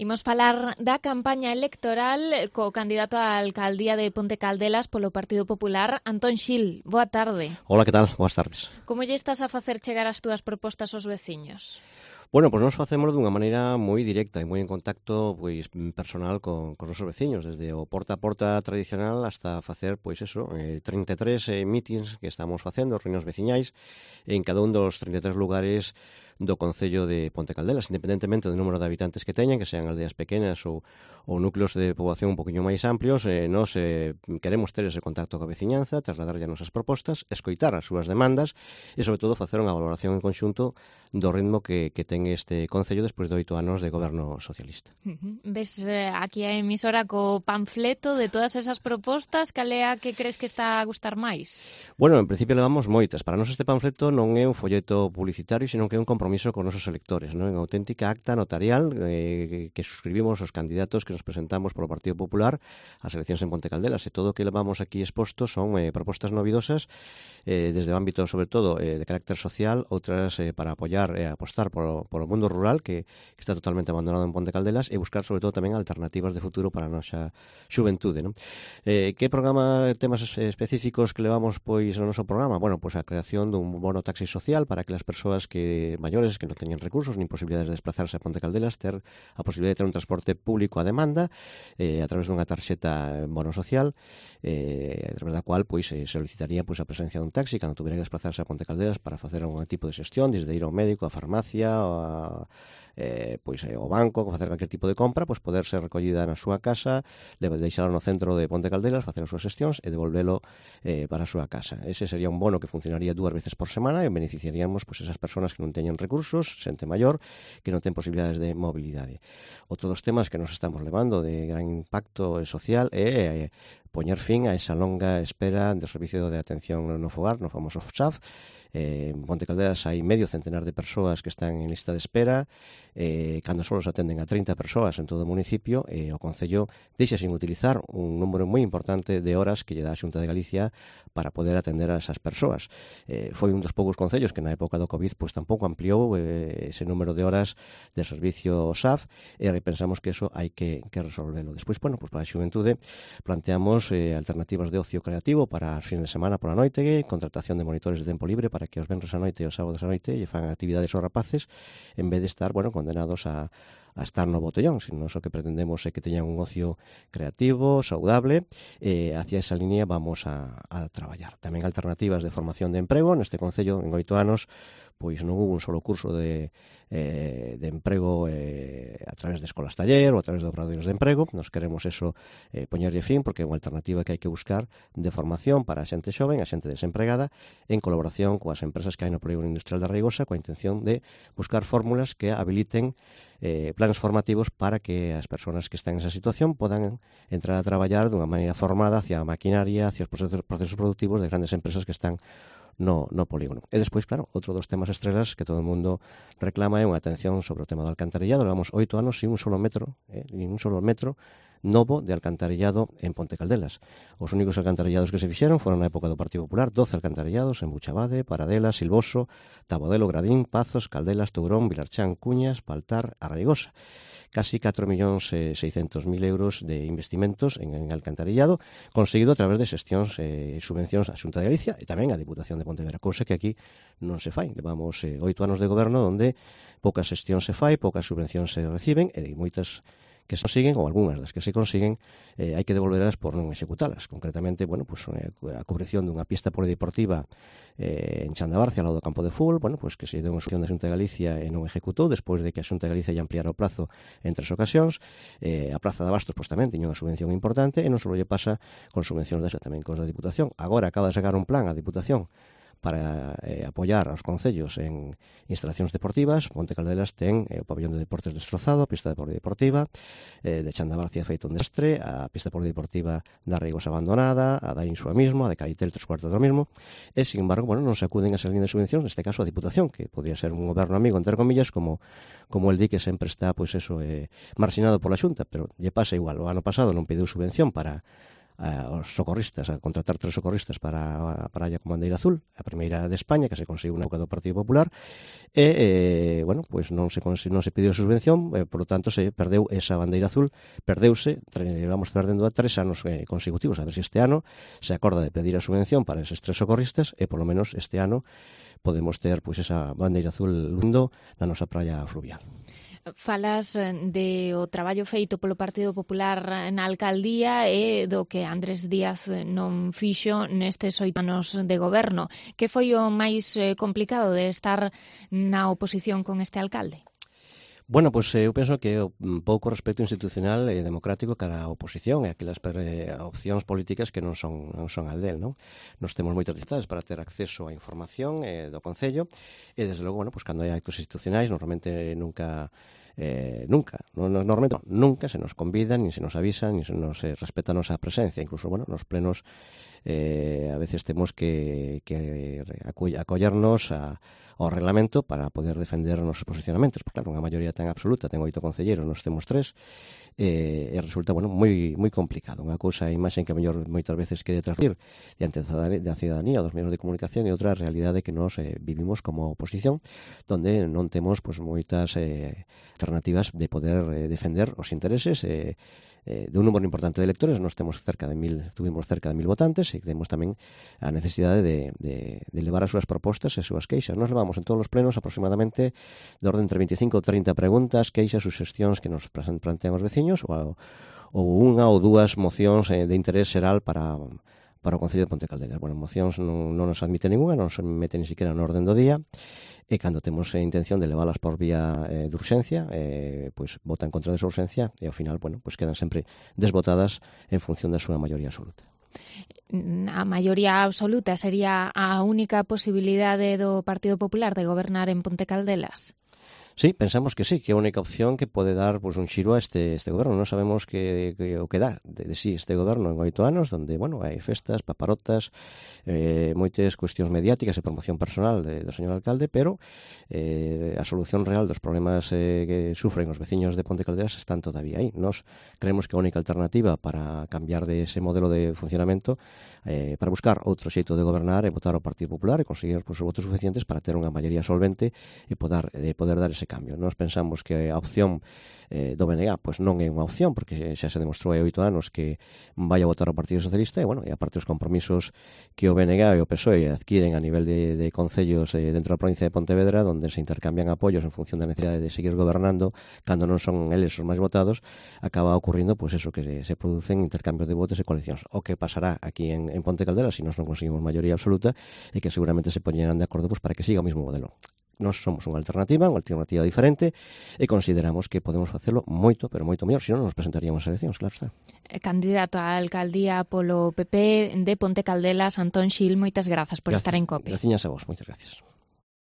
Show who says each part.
Speaker 1: Imos falar da campaña electoral co candidato á alcaldía de Ponte Caldelas polo Partido Popular, Antón Xil. Boa tarde.
Speaker 2: Hola, que tal? Boas tardes.
Speaker 1: Como lle estás a facer chegar as túas propostas aos veciños?
Speaker 2: Bueno, pois nos facemos dunha maneira moi directa e moi en contacto personal con os nosos veciños, desde o porta a porta tradicional hasta facer, 33 mítins que estamos facendo, reunións veciñais, en cada un dos 33 lugares do Concello de Ponte Caldelas, independentemente do número de habitantes que teñan, que sean aldeas pequenas ou núcleos de poboación un poquinho máis amplios, nos queremos ter ese contacto coa veciñanza, trasladarlle as nosas propostas, escoitar as súas demandas e, sobre todo, facer unha valoración en conxunto do ritmo que ten este Concello despois de 8 anos de goberno socialista.
Speaker 1: Ves aquí a emisora co panfleto de todas esas propostas, cal é a que crees que está a gustar máis?
Speaker 2: Bueno, en principio levamos moitas. Para nós este panfleto non é un folleto publicitario, sino que é un compromiso con os nosos electores, non? En auténtica acta notarial que suscribimos os candidatos que nos presentamos polo Partido Popular ás eleccións en Ponte Caldelas, e todo o que levamos aquí exposto son propostas novidosas desde o ámbito, sobre todo, de carácter social, outras para apoiar e apostar polo mundo rural que está totalmente abandonado en Ponte Caldelas, e buscar, sobre todo, tamén alternativas de futuro para a nosa xuventude, non? Que temas específicos que levamos no noso programa? Bueno, pois a creación dun bono taxi social para que as persoas maiores que non teñen recursos nin posibilidades de desplazarse a Ponte Caldelas ter a posibilidade de ter un transporte público a demanda a través dunha tarxeta bono social a través da cual se solicitaría a presencia dun taxi cando tuviera que desplazarse a Ponte Caldelas para facer algún tipo de xestión, desde ir ao médico, á farmacia, ao banco, facer calquer tipo de compra, poder ser recollida na súa casa, deixala no centro de Ponte Caldelas, facer as súas xestións e devolvelo para a súa casa. Ese sería un bono que funcionaría 2 veces por semana e beneficiaríamos esas persoas que non teñen recursos, xente maior, que non ten posibilidades de mobilidade. Outro dos temas que nos estamos levando de gran impacto social é poñer fin a esa longa espera do servicio de atención no fogar, no famoso FSAF. En Ponte Caldelas hai medio centenar de persoas que están en lista de espera, cando só se atenden a 30 persoas en todo o municipio, e o Concello deixa sin utilizar un número moi importante de horas que lle dá a Xunta de Galicia para poder atender a esas persoas. Foi un dos poucos concellos que na época do COVID tampouco ampliou ese número de horas de servicio SAF, e repensamos que eso hai que resolverlo. Despois, para a xuventude planteamos alternativas de ocio creativo para os fines de semana pola noite, contratación de monitores de tempo libre para que os venres a noite e os sábados a noite lle fan actividades aos rapaces en vez de estar, condenados a estar no botellón, sino o que pretendemos é que teñan un ocio creativo, saudable, e hacia esa línea vamos a traballar. Tamén alternativas de formación de emprego. Neste Concello, en 8 anos, non hubo un solo curso de emprego a través de escolas taller ou a través de obradoiros de emprego. Nos queremos poñerlle fin, porque é unha alternativa que hai que buscar de formación para a xente xoven, a xente desempregada, en colaboración coas empresas que hai no Polígono Industrial da Reigosa, coa intención de buscar fórmulas que habiliten planes formativos para que as persoas que están en esa situación podan entrar a traballar dunha maneira formada hacia a maquinaria, hacia os procesos productivos de grandes empresas que están no polígono. E despois, claro, outro dos temas estrelas que todo o mundo reclama é unha atención sobre o tema do alcantarillado. Levamos 8 anos sin un solo metro novo de alcantarillado en Ponte Caldelas. Os únicos alcantarillados que se fixeron foron na época do Partido Popular, 12 alcantarillados en Buchabade, Paradela, Silvoso, Tabodelo, Gradín, Pazos, Caldelas, Tourón, Vilarchán, Cuñas, Paltar, Arraigosa. Casi 4.600.000 euros de investimentos en alcantarillado, conseguido a través de xestións e subvencións á Xunta de Galicia e tamén á Diputación de Pontevedra, cousa que aquí non se fai. Levamos 8 anos de goberno onde poucas xestións se fai, poucas subvencións se reciben, e de moitas que se consiguen, ou algunhas das que se consiguen, hai que devolverlas por non executalas. Concretamente, a cubrición dunha pista polideportiva en Chandabarcia, ao lado do campo de fútbol, que se deu unha solución da Xunta de Galicia e non executou, despois de que a Xunta de Galicia lle ampliara o plazo en 3 ocasións. A Praza de Abastos tamén tiña unha subvención importante, e non só lle pasa con subvencións desa, tamén cos da Diputación. Agora acaba de sacar un plan a Diputación para apoiar aos concellos en instalacións deportivas. Ponte Caldelas ten o pabellón de deportes destrozado, a pista de polideportiva, de Chandabarcia feito un desastre, a pista polideportiva da Reigosa abandonada, a da Insua mismo, a de Caritel 3/4 do mismo, e, sin embargo, non se acuden a esas líneas de subvencións, neste caso a Diputación, que podría ser un goberno amigo, entre comillas, como el di, que sempre está marxinado pola Xunta, pero lle pasa igual. O ano pasado non pediu subvención para os socorristas, a contratar 3 socorristas para a praia con bandeira azul, a primeira de España, que se conseguiu na época do Partido Popular, e, bueno, pois non se pediu subvención, por lo tanto, se perdeu esa bandeira azul, perdeuse, vamos perdendo a 3 anos consecutivos, a ver se este ano se acorda de pedir a subvención para eses 3 socorristas, e polo menos este ano podemos ter pois esa bandeira azul lundo na nosa praia fluvial.
Speaker 1: Falas de o traballo feito polo Partido Popular na alcaldía e do que Andrés Díaz non fixo nestes 8 anos de goberno. Que foi o máis complicado de estar na oposición con este alcalde?
Speaker 2: Bueno, pois eu penso que o pouco respecto institucional e democrático cara á oposición e aquelas opcións políticas que non son as del, non? Nos temos moitas dificultades para ter acceso á información do Concello e, desde logo, bueno, pois cando hai actos institucionais, normalmente nunca se nos convida, nin se nos avisa, nin se nos respeta a nosa presencia. Incluso, bueno, nos plenos a veces temos que acollernos ao reglamento para poder defender os nosos posicionamentos. Porque, claro, unha maioría tan absoluta, ten 8 concelleiros, nos temos 3, e resulta, bueno, moi complicado. Unha cousa, a imaxe que a mellor moitas veces quere transmitir diante da cidadanía, dos medios de comunicación, e outra realidade que nos vivimos como oposición, donde non temos pois moitas alternativas de poder defender os intereses de un número importante de electores. Nos tuvimos cerca de 1.000 votantes, e temos tamén a necesidade de levar as súas propostas e as súas queixas. Nos levamos en todos os plenos aproximadamente de orden entre 25 ou 30 preguntas, queixas, suxestións que nos plantean os veciños, ou unha ou dúas mocións de interés xeral para o Concello de Ponte Caldelas. Bueno, mocións non nos admite ninguna, non se mete ni siquiera no orden do día, e cando temos a intención de leválas por vía de urxencia, pois votan contra desa urxencia, e ao final, bueno, pois quedan sempre desvotadas en función da súa maioría absoluta.
Speaker 1: A maioría absoluta sería a única posibilidade do Partido Popular de gobernar en Ponte Caldelas?
Speaker 2: Sí, pensamos que sí, que é a única opción que pode dar un xiro a este goberno. Non sabemos o que dá de sí este goberno en 8 anos, onde, bueno, hai festas, paparotas, moitas cuestións mediáticas e promoción personal do señor alcalde, pero a solución real dos problemas que sufren os veciños de Ponte Caldelas están todavía aí. Nos creemos que a única alternativa para cambiar de ese modelo de funcionamento, para buscar outro xeito de gobernar, e votar ao Partido Popular e conseguir os votos suficientes para ter unha maioría solvente e poder dar ese cambio. Nós pensamos que a opción do BNG pois non é unha opción, porque xa se demostrou hai 8 anos que vai a votar ao Partido Socialista, e, bueno, e aparte os compromisos que o BNG e o PSOE adquiren a nivel de concellos dentro da provincia de Pontevedra, onde se intercambian apoios en función da necesidade de seguir gobernando cando non son eles os máis votados, acaba ocurrindo pois eso, que se producen intercambios de votos e coalicións. O que pasará aquí en Ponte Caldelas, se nós non conseguimos maioría absoluta, e que seguramente se poñerán de acordo pois para que siga o mesmo modelo. Nós somos unha alternativa diferente, e consideramos que podemos facelo moito, pero moito mellor, senón nos presentaríamos as eleccións, claro está.
Speaker 1: Candidato á alcaldía polo PP de Ponte Caldelas, Antón Xil, moitas grazas por estar en COPE.
Speaker 2: Graciñas a vos, moitas gracias.